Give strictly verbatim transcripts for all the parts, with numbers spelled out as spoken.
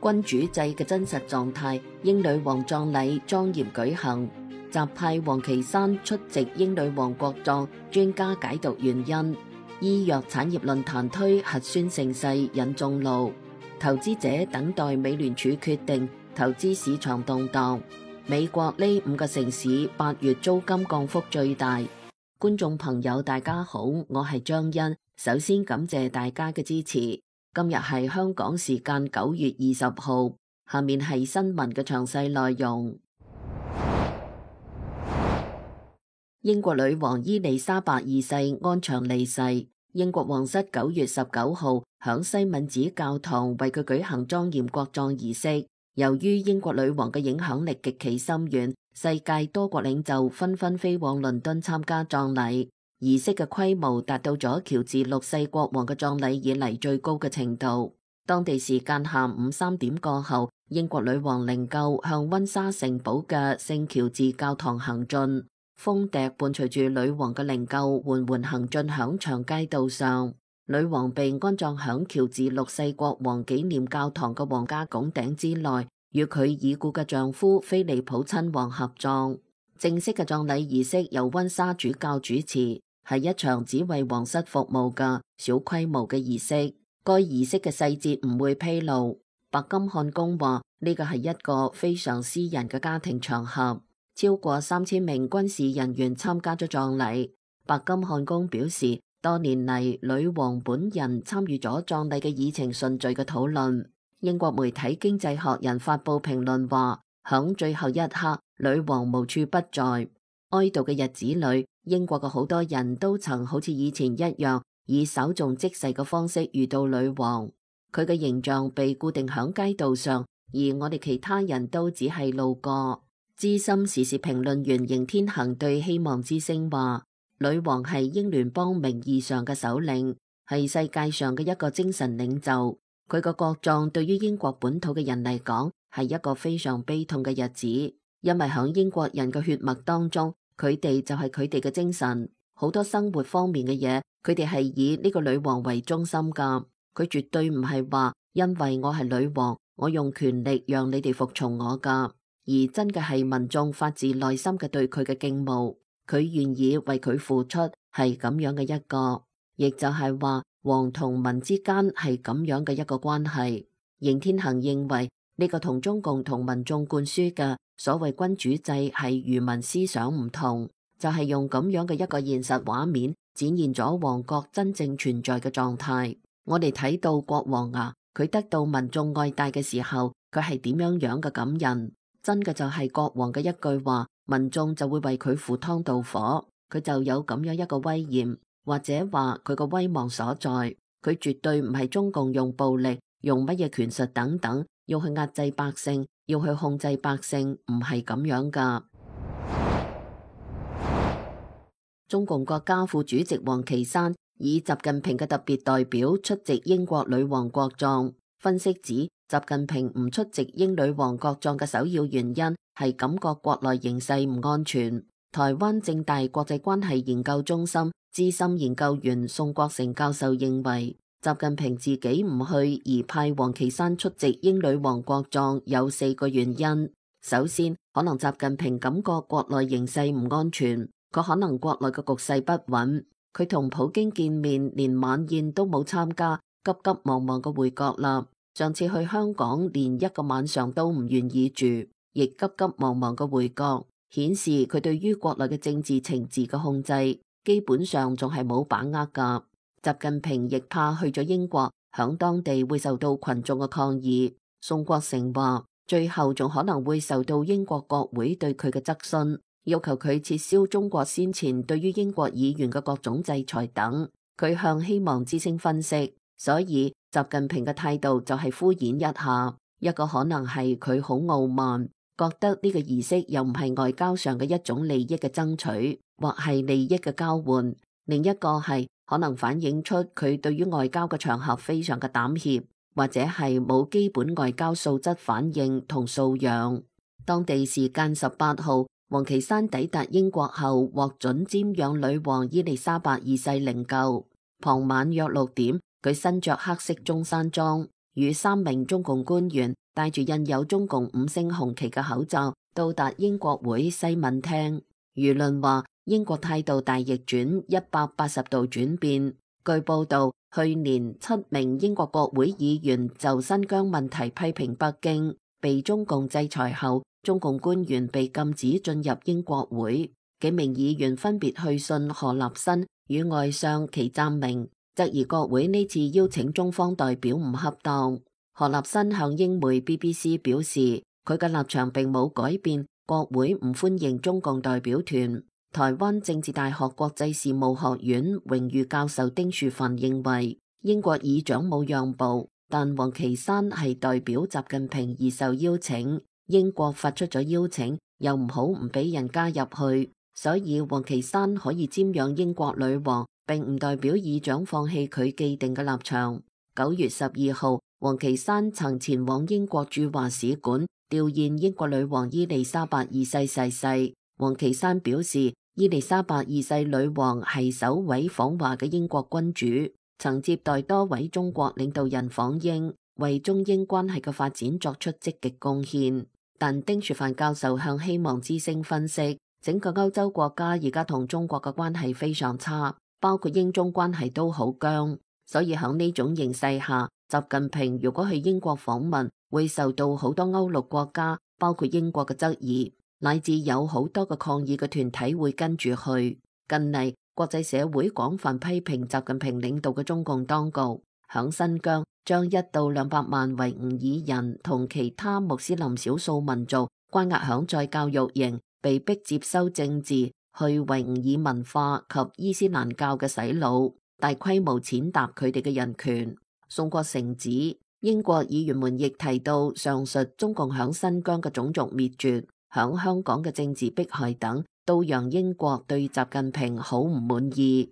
君主制嘅真實狀態，英女王葬禮莊嚴舉行，習派王岐山出席英女王國葬，專家解讀原因。醫藥產業論壇推核酸盛世引眾怒，投資者等待美聯儲決定，投資市場動盪。美國呢五個城市八月租金降幅最大。觀眾朋友大家好，我係張欣，首先感謝大家嘅支持。今日係香港時間九月二十號，下面係新聞嘅詳細內容。英國女王伊麗莎白二世安詳離世，英國皇室九月十九號響西敏寺教堂為佢舉行莊嚴國葬儀式。由於英國女王嘅影響力極其深遠，世界多國領袖紛紛飛往倫敦參加葬禮。儀式嘅規模達到咗喬治六世國王嘅葬禮以嚟最高嘅程度。當地時間下午三點過後，英國女王靈柩向溫莎城堡嘅聖喬治教堂行進，風笛伴隨住女王嘅靈柩緩緩行進響長街道上。女王被安葬響喬治六世國王紀念教堂嘅皇家拱頂之內，與佢已故嘅丈夫菲利普親王合葬。正式嘅葬禮儀式由溫莎主教主持，係一場只為皇室服務嘅小規模嘅儀式。該儀式嘅細節唔會披露。白金漢宮話呢個係一個非常私人嘅家庭場合，超過三千名軍事人員參加咗葬禮。白金漢宮表示，多年嚟女王本人參與咗葬禮嘅議程順序嘅討論。英國媒體經濟學人發佈評論話，響最後一刻，女王無處不在。哀悼嘅日子裏，英國嘅好多人都曾好似以前一樣，以稍縱即逝嘅方式遇到女王。佢嘅形象被固定響街道上，而我哋其他人都只係路過。資深時事評論員邢天行對希望之聲話，女王係英聯邦名義上嘅首領，係世界上嘅一個精神領袖。佢個國葬對於英國本土嘅人嚟講係一個非常悲痛嘅日子，因為響英國人嘅血脈當中，佢哋就係佢哋嘅精神。好多生活方面嘅嘢，佢哋係以呢個女王為中心噶。佢絕對唔係話因為我係女王，我用權力讓你哋服從我噶，而真嘅係民眾發自內心嘅對佢嘅敬慕。佢願意為佢付出，係咁樣嘅一個，亦就係話王同民之間係咁樣嘅一個關係。邢天行認為呢個同中共同民眾灌輸嘅所謂君主制係愚民思想唔同，就係用咁樣嘅一個現實畫面展現咗王國真正存在嘅狀態。我哋睇到國王啊，佢得到民眾愛戴嘅時候，佢係點樣樣嘅感人？真嘅就係國王嘅一句話，民眾就會為佢赴湯蹈火，佢就有咁樣一個威嚴，或者話佢個威望所在。佢絕對唔係中共用暴力、用乜嘢權術等等，要去壓制百姓，要去控制百姓，唔係咁樣噶。中共國家副主席王岐山以習近平嘅特別代表出席英國女王國葬。分析指，習近平唔出席英女王國葬嘅首要原因係感覺國內形勢唔安全。台灣政大國際關係研究中心資深研究員宋國成教授認為，習近平自己唔去而派王岐山出席英女王國葬有四個原因。首先，可能習近平感覺國內形勢唔安全，佢可能國內嘅局勢不穩，佢同普京見面連晚宴都冇參加，急急忙忙嘅回國啦。上次去香港連一個晚上都唔願意住，亦急急忙忙嘅回國，顯示佢對於國內嘅政治情治嘅控制基本上仲係冇把握噶。習近平亦怕去咗英國，響當地會受到群眾嘅抗議。宋國成話，最後仲可能會受到英國國會對佢嘅質詢，要求佢撤銷中國先前對於英國議員嘅各種制裁等。佢向希望之聲分析，所以習近平嘅態度就係敷衍一下，一個可能係佢好傲慢，覺得呢個儀式又唔係外交上嘅一種利益嘅爭取，或係利益嘅交換。另一個係可能反映出佢對於外交嘅場合非常嘅膽怯，或者係冇基本外交素質反應同素養。當地時間十八號，王岐山抵達英國後獲准瞻仰女王伊麗莎白二世靈柩。傍晚約六點，佢身着黑色中山裝，與三名中共官員、戴住印有中共五星紅旗嘅口罩到達英國會西敏廳。輿論話英國態度大逆轉，一百八十度轉變。據報道，去年七名英國國會議員就新疆問題批評北京，被中共制裁後，中共官員被禁止進入英國會。幾名議員分別去信何立新與外相祁湛明，質疑國會呢次邀請中方代表唔恰當。何立新向英媒 B B C 表示，佢嘅立場並冇改變，國會唔歡迎中共代表團。台灣政治大學國際事務學院榮譽教授丁樹範認為，英國議長冇讓步，但王岐山係代表習近平而受邀請，英國發出咗邀請，又唔好唔俾人加入去，所以王岐山可以瞻仰英國女王，並唔代表議長放棄佢既定嘅立場。九月十二號，王岐山曾前往英國駐華使館弔唁英國女王伊麗莎白二世逝世。王岐山表示，伊麗莎白二世女王係首位訪華嘅英國君主，曾接待多位中國領導人訪英，為中英關係嘅發展作出積極貢獻。但丁樹範教授向希望之聲分析，整個歐洲國家而家同中國嘅關係非常差，包括英中關係都好僵，所以喺呢種形勢下，習近平如果去英國訪問，會受到好多歐陸國家，包括英國嘅質疑。乃至有好多個抗議嘅團體會跟住去。近嚟國際社會廣泛批評習近平領導嘅中共當局，響新疆將一到兩百萬維吾爾人同其他穆斯林少數民族關押響在教育營，被迫接收政治、去維吾爾文化及伊斯蘭教嘅洗腦，大規模踐踏佢哋嘅人權。宋國成指，英國議員們亦提到上述中共響新疆嘅種族滅絕，響香港嘅政治迫害等，都讓英國對習近平好唔滿意。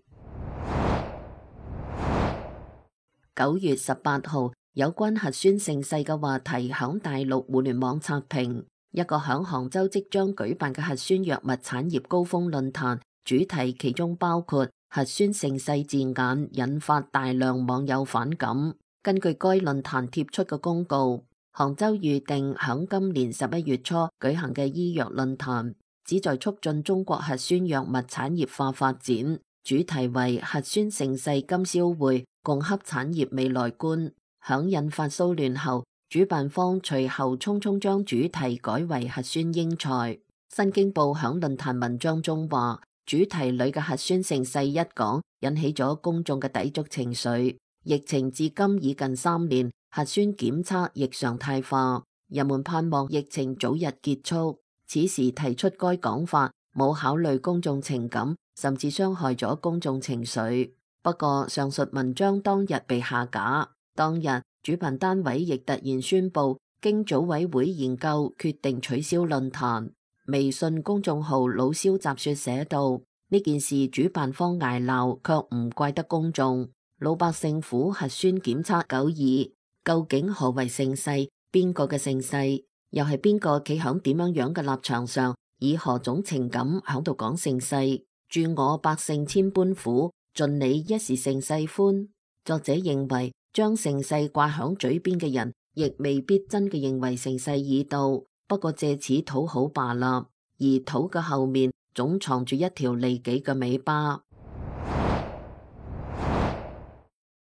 九月十八號，有關核酸盛世嘅話題響大陸互聯網刷屏。一個響杭州即將舉辦嘅核酸藥物產業高峰論壇，主題其中包括核酸盛世字眼，引發大量網友反感。根據該論壇貼出嘅公告，杭州預定響今年十一月初舉行嘅醫藥論壇，旨在促進中國核酸藥物產業化發展，主題為核酸盛世金宵會，共洽產業未來觀。響引發騷亂後，主辦方隨後匆匆將主題改為核酸英才。新京報響論壇文章中話，主題裏嘅核酸盛世一講，引起咗公眾嘅抵觸情緒。疫情至今已近三年，核酸檢測亦常態化，人們盼望疫情早日結束。此時提出該講法，冇考慮公眾情感，甚至傷害咗公眾情緒。不過上述文章當日被下架，當日主辦單位亦突然宣布，經組委會研究決定取消論壇。微信公眾號老蕭雜說寫道：呢件事主辦方挨鬧，卻唔怪得公眾。老百姓苦核酸檢測久矣，究竟何為盛世？邊個嘅盛世？又係邊個企響點樣樣嘅立場上，以何種情感響度講盛世？祝我百姓千般苦，盡你一時盛世歡。作者認為，將盛世掛響嘴邊嘅人，亦未必真嘅認為盛世已到，不過借此討好罷啦。而討嘅後面總藏住一條利己嘅尾巴。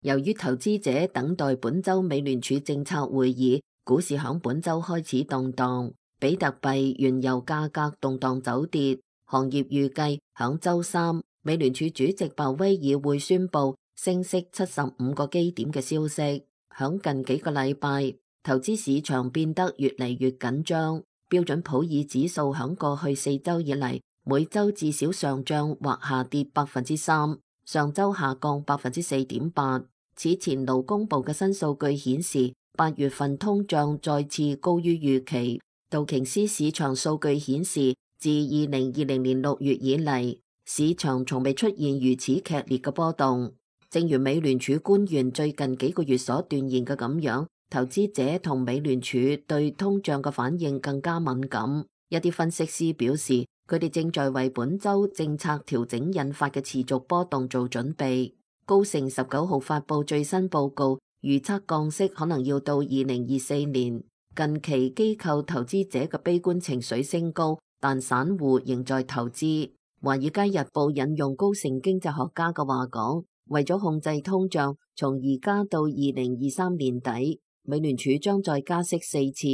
由於投資者等待本周美聯儲政策會議，股市響本周開始動盪，比特幣、原油價格動盪走跌。行業預計響周三，美聯儲主席鮑威爾會宣布升息七十五個基點嘅消息。響近幾個禮拜，投資市場變得越嚟越緊張。標準普爾指數響過去四周以嚟，每周至少上漲或下跌百分之三，上周下降百分之四點八。此前勞工部嘅新數據顯示，八月份通脹再次高於預期。道瓊斯市場數據顯示，自二零二零年六月以嚟，市場從未出現如此劇烈嘅波動。正如美聯儲官員最近幾個月所斷言嘅咁樣，投資者同美聯儲對通脹嘅反應更加敏感。一啲分析師表示，佢哋正在為本周政策調整引發嘅持續波動做準備。高盛十九號發佈最新報告，預測降息可能要到二零二四年。近期機構投資者嘅悲觀情緒升高，但散戶仍在投資。華爾街日報引用高盛經濟學家嘅話講，為咗控制通脹，從而家到二零二三年底，美聯儲將再加息四次，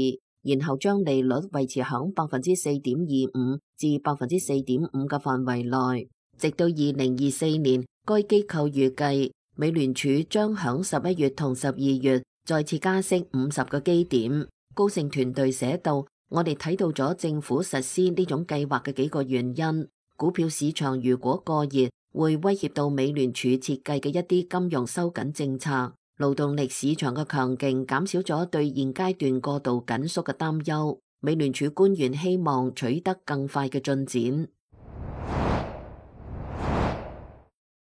然後將利率維持響百分之四點二五至百分之四點五嘅範圍內，直到二零二四年。該機構預計美聯儲將響十一月同十二月再次加息五十個基點。高盛團隊寫道：我哋睇到咗政府實施呢種計劃嘅幾個原因。股票市場如果過熱，會威脅到美聯儲設計嘅一啲金融收緊政策。勞動力市場嘅強勁減少咗對現階段過度緊縮嘅擔憂。美聯儲官員希望取得更快嘅進展。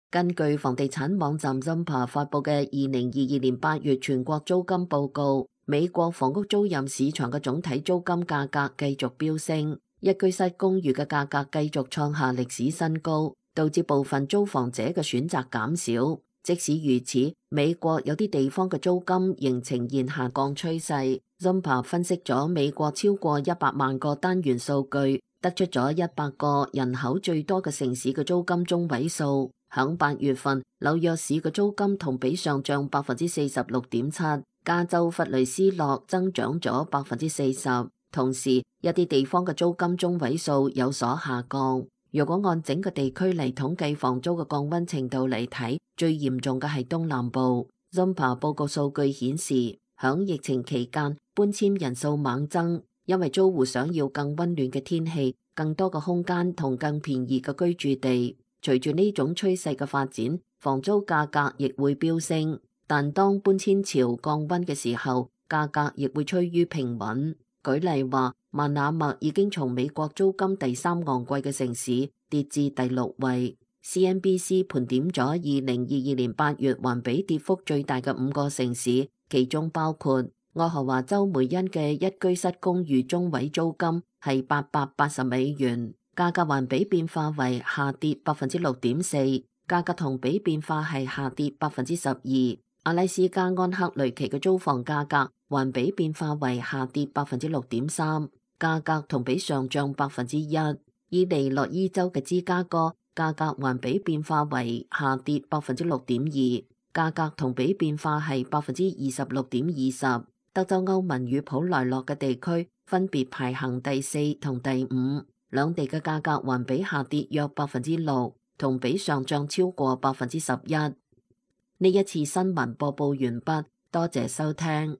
根據房地產網站 Zumper 發佈嘅二零二二年八月全國租金報告，美國房屋租賃市場嘅總體租金價格繼續飆升，一居室公寓嘅價格繼續創下歷史新高，導致部分租房者嘅選擇減少。即使如此，美國有啲地方嘅租金仍呈現下降趨勢。Zumper 分析咗美國超過一百萬個單元數據，得出咗一百個人口最多嘅城市嘅租金中位數。響八月份，紐約市嘅租金同比上漲百分之四十六點七，加州弗雷斯諾增長咗百分之四十。同時，一啲地方嘅租金中位數有所下降。如果按整個地區嚟統計房租嘅降溫程度嚟睇，最嚴重嘅係東南部。Zumper 報告數據顯示，響疫情期間，搬遷人數猛增，因為租戶想要更溫暖嘅天氣、更多嘅空間同更便宜嘅居住地。隨住呢種趨勢嘅發展，房租價格亦會飆升。但當搬遷潮降溫嘅時候，價格亦會趨於平穩。舉例話，曼那默已經從美國租金第三昂貴嘅城市跌至第六位。C N B C 盤點咗二零二二年八月環比跌幅最大嘅五個城市，其中包括愛荷華州梅恩嘅一居室公寓中位租金係八百八十美元。價格環比變化為下跌百分之六點四，價格同比變化係下跌百分之十二。阿拉斯加安克雷奇嘅租房價格環比變化為下跌百分之六點三，價格同比上漲百分之一。伊利諾伊州嘅芝加哥價格環比變化為下跌百分之六點二，價格同比變化係百分之二十六點二十。德州歐文與普萊洛嘅地區分別排行第四同第五。兩地嘅價格環比下跌約百分之六，同比上漲超過百分之十一。呢一次新聞播報完畢，多謝收聽。